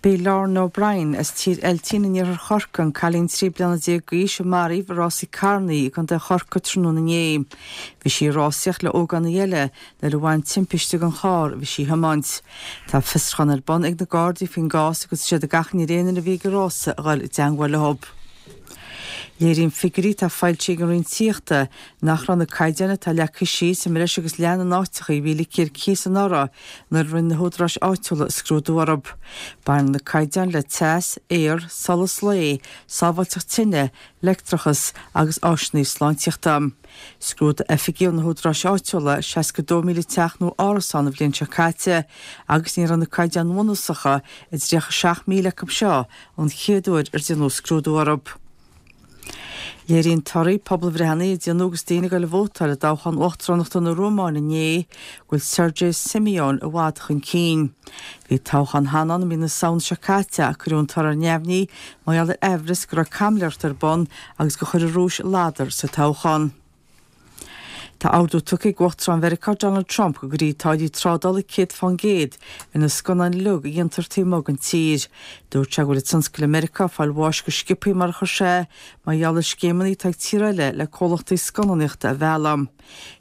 B'í Lauren O'Brien as Tír Eiltín in iarthar Chorcaí an cailín 13 bliana d'aois a maraíodh i rásaí carrannaí i gContae Chorcaí tráthnóna inné. Bhí sí ag rásaíocht le ógánaigh eile nuair a bhain timpiste den charr a bhí sí a thiomáint. Tá fiosrúchán ar bun ag na Gardaí faoin gcás agus tá siad ag achainí ar aon duine a bhí ag an rása a dhul i dteangmháil leo. Léiríonn figiúirí atá foilsithe ag an Roinn Tithíochta nach raibh na caighdeáin atá leagtha síos i mbreis agus leath na n-áiteacha a bhí ligthe ar cíos anuraidh nuair a rinne na húdaráis áitiúla scrúdú orthu. Baineann na caighdeáin le teas, aer, solas lae, sábháilteacht tine, leictreachas agus áiseanna sláintíochta. Scrúdaigh oifigigh ó na húdaráis áitiúla 62,000 teach nó árasán an bhliain seo caite agus ní raibh na caighdeáin bhunúsacha i 37,000 acu seo an chéad uair ar déanadh scrúdú orthu. Léiríonn torthaí pobalbhreitheanna a déanadh agus daoine ag dul a vótáil i dtoghchán uachtaránachta na Rómáine inné go bhfuil Sergei Simion i bhfad chun cinn. Bhí toghchán cheana ann i mí na Samhna seo caite ach cuireadh an toradh ar neamhní mar gheall ar aimhreas go raibh caimiléireacht ar bun agus gur chuir an Rúis ladar sa toghchán. Tá ordú tugtha ag Uachtarán Mheiriceá Donald Trump go gcuirfí táillí trádála 100% ar na scannáin uilig a dhéantar taobh amuigh den tír. Dúirt sé go bhfuil an tionscal i Meiriceá ag fáil bháis go sciobthaí mar a chuir sé, mar gheall ar scéimeanna atá ag tíortha eile le comhlachtaí scannánaíochta a mhealladh.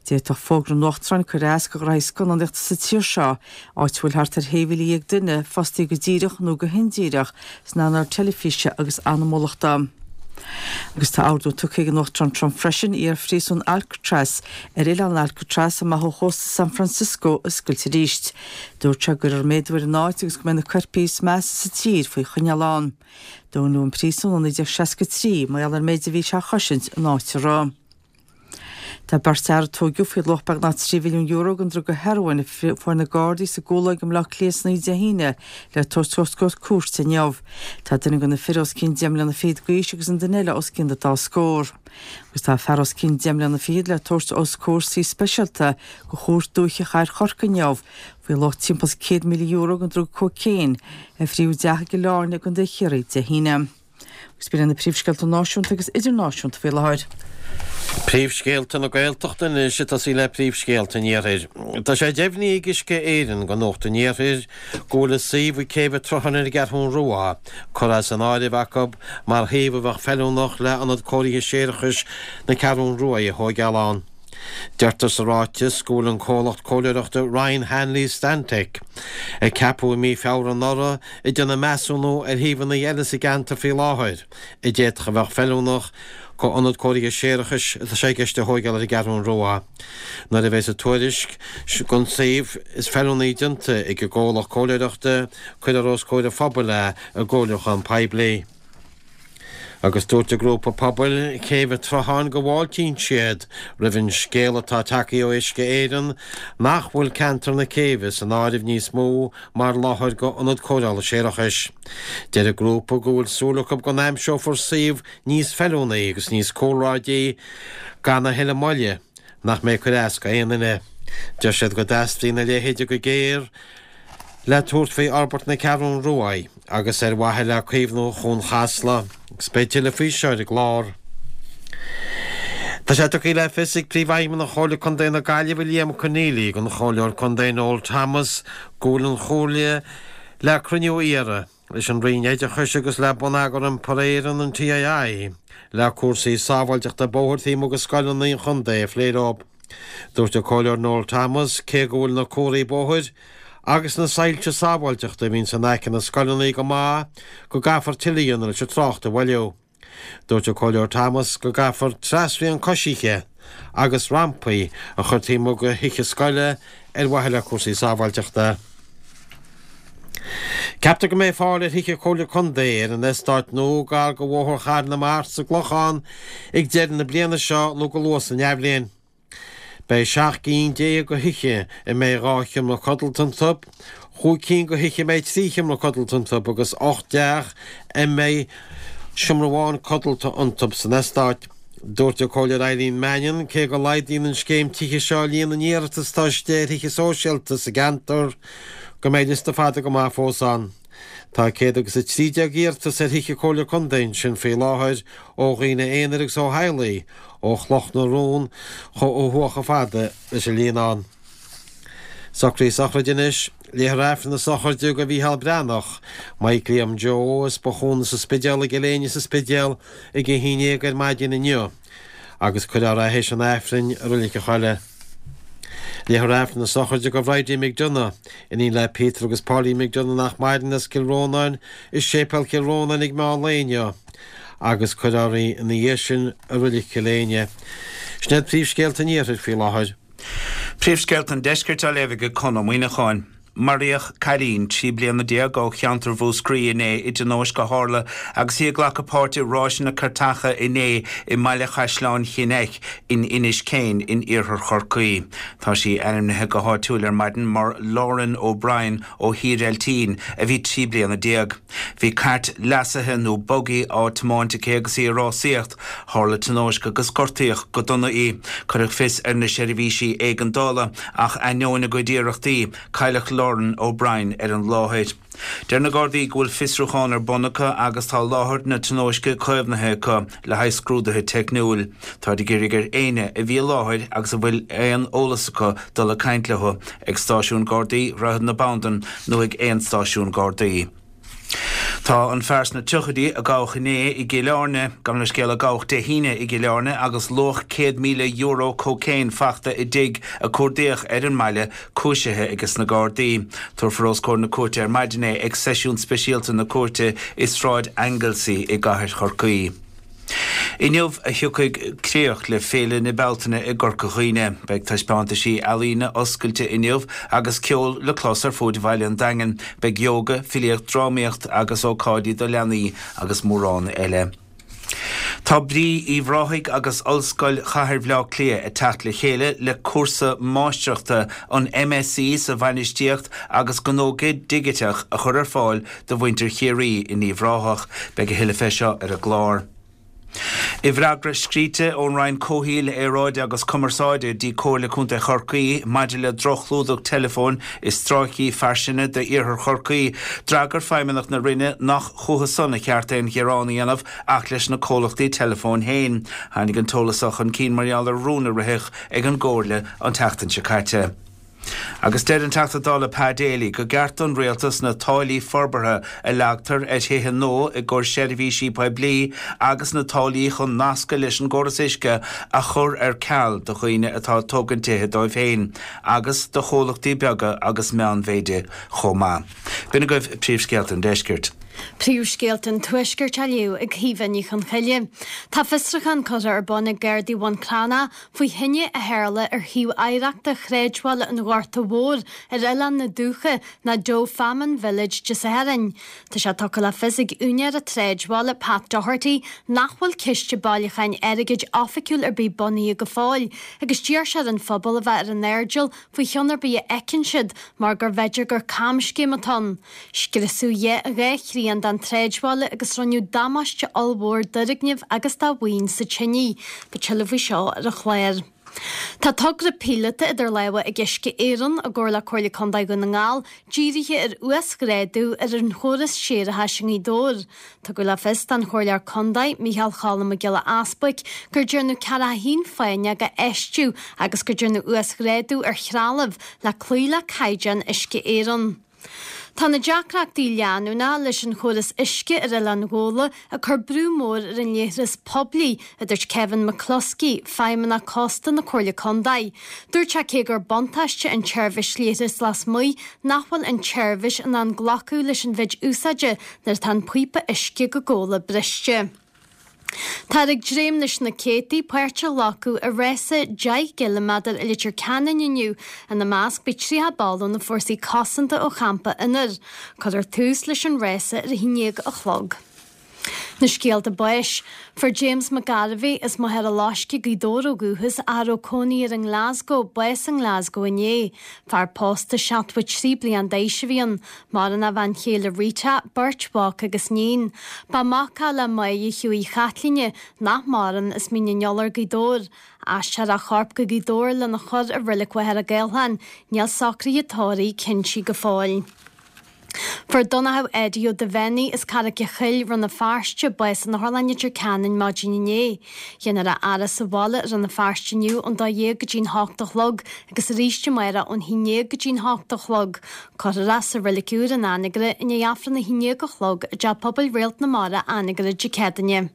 D'fhéadfadh fógra an Uachtaráin cur as do ghraithí scannánaíochta sa tír seo, áit a bhfuil thart ar 16,000 duine fostaithe go díreach nó go hindíreach san earnáil teilifíse agus anamúlachta. Agus tá ordú tugtha ag an Uachtarán Trump freisin iar-phríosún Alcatraz ar oileán Alcatraz amach ó chósta San Francisco a oscailt arís. Dúirt sé go gcuirfear méadú ar an áit agus go mbeidh na coirpigh is measa sa tír faoi choinneáil ann. Dúnadh an príosún i 1963 mar gheall ar an méid a bhí sé a chosaint an áit a rith. Tá beirt fhear a tóigeadh faoi luach beagnach €3 mhilliún den druga hearóin a fuair na Gardaí sa gCúlóig i mBleá Cliath san oíche Dé hAoine le tabhairt os comhair cúirte inniu. Tá duine de na fir os cionn deich mbliana fichead d'aois agus an duine eile os cionn dá scór. Agus tá fear os cionn deich mbliana fichead le tabhairt os comhair suí speisialta de Chúirt Dúiche Chathair Chorcaí inniu faoi luach timpeall is €100,000 den druga cócaon a frítheadh i dteach i gCill Airne i gContae Chiarraí Dé hAoine. Agus b'in iad na príomhscéalta náisiúnta agus idirnáisiúnta faoi láthair. Príomhscéalta na Gaeltachta anois ag tosaí le príomhscéalta an Iarthair. Tá sé deimhnithe ag Uisce Éireann do Nuacht an Iarthair go bhfuil an suíomh ag Céibh an tSrutháin ar an gCeathrú Rua curtha as an áireamh acu mar shuíomh a bheadh feiliúnach le hIonad Cóirithe Séarachais na Ceathrún Ruaidh a thóigeáil ann. Deirtear sa ráiteas go bhfuil an comhlacht comhairleoireachta Ryan Hanley Stantec, a ceapadh i mí Feabhra anuraidh, ag déanamh measúnú ar shuíomhanna eile sa gceantar faoi láthair a d'fhéadfadh a bheadh feiliúnach do ionad cóirithe séarachais atá sé i gceist a thóigeáil ar an gCeathrún Rua. Nuair a bheas an tuairisc don suíomh is feiliúnaí déanta ag an gcomhlacht comhairleoireachta, cuirfear os comhair an phobail é i gcomhairliúchán poiblí. Agus dúirt an grúpa pobail Céibh an tSrutháin go bhfáiltíonn siad roimh an scéala atá tagtha ó Uisce Éireann nach bhfuil ceantar na céibhe san áireamh níos mó mar láthair do ionad cóireála séarachais. Deir an grúpa go bhfuil súil acu go n-aimseofar suíomh níos feiliúnaí agus níos cúlráidí gan a thuilleadh moille nach mbeidh ag cur as go aon duine. Deir siad go dteastaíonn a leithéide go géar le tabhairt faoi fhorbairt na Ceathrún Ruaidh agus ar mhaithe le caomhnú Chuan Chasla. Agus beidh tuilleadh faoi seo ar an gclár. Tá sé tugtha le fios ag Príomhfheidhmeannach Chomhairle Contae na Gaillimhe Liam Conneely don Chomhairleoir Contae Noel Thomas go bhfuil an Chomhairle le cruinniú a iarraidh leis an Roinn Oideachais agus le Bonneagar Iompair Éireann, an TII, le cúrsaí sábháilteachta bóthair taobh amuigh de scoileanna an chontae a phlé leo. Dúirt an Comhairleoir Noel Thomas cé go bhfuil na comharthaí bóthair agus na soilse sábháilteachta a bhíonns in aice na scoileanna go maith go gcaithfear tuilleadh a dhéanamh leis an trácht a mhoilliú. Dúirt an Comhairleoir Thomas go gcaithfear trasrian coisithe agus rampaí a chur taobh amuigh de thithe scoile ar mhaithe le cúrsaí sábháilteachta. Ceaptar go mbeidh fáil ar thithe Comhairle Contae ar an eastát nua gar do Bhóthar Chathair na Mart sa gClochán ag deireadh na bliana seo nó go luath san athbhliain. Beidh 17 gcinn de thithe a mbeidh 2 sheomra codlata iontu, chúig cinn de thithe a mbeidh 3 sheomra codlata iontu agus 8 dteach a mbeidh seomra amháin codlata iontu san eastát. Dúirt an Comhairleoir Eileen Mannion, cé go laghdaíonn an scéim tithe seo líon na n-iarratas atá istigh ar thithe sóisialta sa gceantar, go mbeidh liosta fada go maith fós ann. Tá 113 iarratas ar thithe Comhairle Contae ansin faoi láthair ó dhaoine aonair agus ó theaghlaigh ó Chloch na Rón ó thuaidh chomh fada leis an Líonán. Socruithe sochraide anois. Léifear Aifreann na sochraide do Mhícheál Breathnach, Mike Liam Joe, as Bothúna sa Spidéal i gCill Éinne sa Spidéal ag a 11 ar maidin inniu agus cuirfear é théis an Aifrinn i Reilig an Choilligh. Léifear Aifreann na sochraide do Bhridie McDonagh, iníon le Peter agus Pauline McDonagh nach maireann as Cill Rónáin i Séipéal Chill Rónáin ag meán lae inniu agus cuirfear í ina dhiaidh sin i Reilig Chill Éinne. Sin iad príomhscéalta an Iarthair faoi láthair. Príomhscéalta an Deiscirt á léamh ag Conn Ó Muíneacháin. Maraíodh cailín 13 bliana ó cheantar Mhúscraí inné i dtionóisc a tharla agus í ag glacadh páirt i ráiseanna cairteacha inné i mBaile Chaisleáin Chinn Eich in Inis Céin in iarthar Chorcaí. Tá sí ainmnithe go háitiúil ar maidin mar Lauren O'Brien ó Thír Eiltín a bhí 13 bliana. Bhí cairt leasaithe nó buggy á tiomáint aici agus í ag rásaíocht. Tharla tionóisc agus gortaíodh go dona í. Cuireadh fios ar na seirbhísí éigeandála ach ainneoin a gcuid iarrachtaí, cailleadh Lauren O'Brien ar an láthair. Deir na Gardaí go bhfuil fiosrúchán ar bun acu agus tá láthair na tionóisce caomhnaithe acu le haghaidh scrúduithe teicniúil. Táid ag iarraidh ar éinne a bhí i láthair agus a bhfuil aon eolas acu dul ag caint leo ag Stáisiún Gardaí Dhroichead na Bandan nó ag aon stáisiún Gardaí. Tá an fear sna tríochaidí a gabhadh inné i gCill Airne, gabh mo leithscéal, a gabhadh Dé hAoine i gCill Airne agus luach €100,000 cócaon fachta i dtigh a cuardaíodh ar an mbaile, cúisithe aige sna Gardaí. Tabharfar os comhair na cúirte ar maidin é ag seisiún speisialta na cúirte i Sráid Anglesey i gcathair Chorcaí. Inniu a thiocfaidh críoch le Féile na Bealtaine i gCorca Dhuibhne. Beidh taispeántaisí ealaíne oscailte inniu agus ceol le clos ar fuaid bhaile an Daingin. Beidh ióga, filíocht, drámaíocht agus ócáidí do leanaí agus mórán eile. Tá Brí Uíbh Ráthaigh agus Ollscoil Chathair Bhaile Átha Cliath ag teacht le chéile le cúrsa máistreachta, an MSc sa Bhainistíocht agus Gnó Digiteach a chur ar fáil do mhuintir Chiarraí in Uíbh Ráthach. Beidh a thuilleadh fé seo ar an gclár. I bhfreagra scríte ón Roinn Comhshaoil, Aeráide agus Cumarsáide dtí Comhairle Contae Chorcaí maidir le droch-chlúdach teileafóin i stráicí fairsinge d'iarthar Chorcaí, d'fhreagair feidhmeannacht na Roinne nach chucu san a cheart aon ghearán a dhéanamh ach leis na comhlachtaí teileafóin féin. Tháinig an t-eolas seo chun cinn mar gheall ar rún a ritheadh ag an gComhairle an tseachtain seo caite. Agus deir an Teachta Dála Pa Daly go gceart don Rialtas na táillí forbartha a leagtar ar thithe nua i gcomhair seirbhísí poiblí agus na táillí chun nascadh leis an gcóras uisce a chur ar ceal do dhaoine atá ag tógaint tithe dóibh féin agus do chomhlachtaí beaga agus meánmhéide chomh maith. B'in agaibh príomhscéalta an deiscirt. Príomhscéalta an Tuaiscirt á léamh ag Caoimhe Ní Chonchoille. Tá fiosrúchán curtha ar bun ag Gardaí Bhun Cranncha faoi thine a tharla ar shuíomh oidhreachta Shráidbhaile an Ghorta Mhóir ar Oileán na Dumhcha, nó Doagh Famine Village Dé Sathairn. Tá sé tugtha le fios ag úinéir an tsráidbhaile, Pat Doherty, nach bhfuil ciste bailiúcháin airgid oifigiúil ar bith bunaithe go fóill agus d'iarr sé ar an phobal a bheith ar an airdeall faoi cheann ar bith a fheiceann siad mar gur bhféidir gur camscéim atá ann. Scriosadh 2 thrian den tsráidbhaile agus rinneadh damáiste ollmhór d'fhoirgnimh agus do mhaoin sa tinidh. Beidh tuilleadh faoi seo ar an chlár. Tá togra píolóta idir lámha ag Uisce Éireann, i gcomhar le Comhairle Contae Dhún na nGall, dírithe ar uasghrádú ar an chóras séarachais i nGaoth Dobhair. Tugadh le fios don Chomhairleoir Contae, Micheál Cholm Mac Giolla Easbuic, gur dearnadh 41 fáinneog a fheistiú agus gur dearnadh uasghrádú ar threalamh le cloí le caighdeáin Uisce Éireann. Tá na deacrachtaí leanúnacha leis an chóras uisce ar Oileán Ghabhla ag cur brú mór ar an leithreas poiblí, a dúirt Kevin McCluskey, Feidhmeannach Cósta na Comhairle Contae. Dúirt sé cé gur buntáiste an tseirbhís leithris lasmuigh, nach bhfuil an tseirbhís in ann glacadh leis an mhéid úsáide nuair atá an píopa uisce go Gabhla briste. Táthar ag dréim leis na céadtaí páirt a ghlacadh i rása 10 gciliméadar i Leitir Ceanainn inniu. Ina measc beidh 30 ball ó na Fórsaí Cosanta ó Champa Fhionnair. Cuirfear tús leis an rása ar a haon dhéag a chlog. Na scéalta báis. Fuair James McGarvey, as Machaire Loiscthe, Gaoth Dobhair ó dhúchas, ach a raibh cónaí air i nGlasgow, bás i nGlasgow inné. Fear pósta 73 bliain d'aois a bhí ann. Maireann a bhean chéile Rita, beirt mhac agus níon. Ba mhac é le Máire Hughie Chaitlíne, nach maireann, as Mín an Iolair, Gaoth Dobhair. Aistreofar a chorp go Gaoth Dobhair lena chur i Reilig Mhachaire Gathlán. Níl socruithe tórraimh cinntithe go fóill. Fuair Donnchadh Eddie Ó Duibheannaigh as Carraig a' Choill, Rann na Feirste, bás in Otharlann Leitir Ceanainn maidin inné. Déanfar a fhaire sa bhaile i Rann na Feirste inniu ón 12 go dtí'n 8 a chlog agus arís amárach ón 11 go dtí'n 8 a chlog. Cuirfear é sa Reilig Úr in Anagaire i ndiaidh Aifreann a 11 a chlog i dTeach Pobail Réalt na Mara, Anagaire, Dé Céadaoine.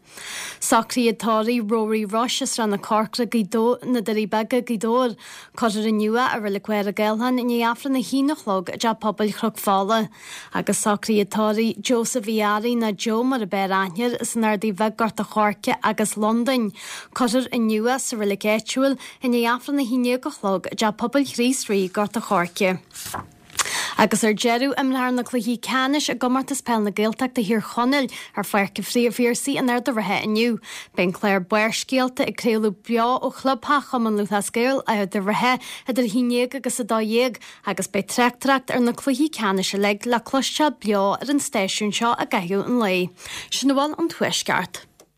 Socruithe tórraimh Rory Rush as Srath na Corcra, Gaoth Dobhair, na Doirí Beaga, Gaoth Dobhair. Cuirfear inniu é i Reilig Mhachaire Gathlán i ndiaidh Aifreann a haon a chlog i dTeach Pobail Chnoc Fola. Agus socruithe tórraimh Joseph Uí Fhearraigh nó Joe mar ab fhearr aithne air as an Ardaidh Bheag, Gort a' Choirce agus Londain. Cuirfear inniu é sa reilig áitiúil i ndiaidh Aifreann a haon déag a chlog i dTeach Pobail Chríost Rí, Gort a' Choirce. Agus ar deireadh, imreofar na cluichí ceannais i gComórtas Peile na Gaeltachta Thír Chonaill ar Pháirc an Phiarsaigh in Ard a' Rátha inniu. Beidh an clár Barrscéalta ag craoladh beo ó chlubtheach Chumann Lúthchleas Gael, Ard a' Rátha, idir 11 agus 12 agus beidh tráchtaireacht ar na cluichí ceannais uilig le cloisteáil beo ar an stáisiún seo i gcaitheamh an lae. Sin a bhfuil ón Tuaisceart.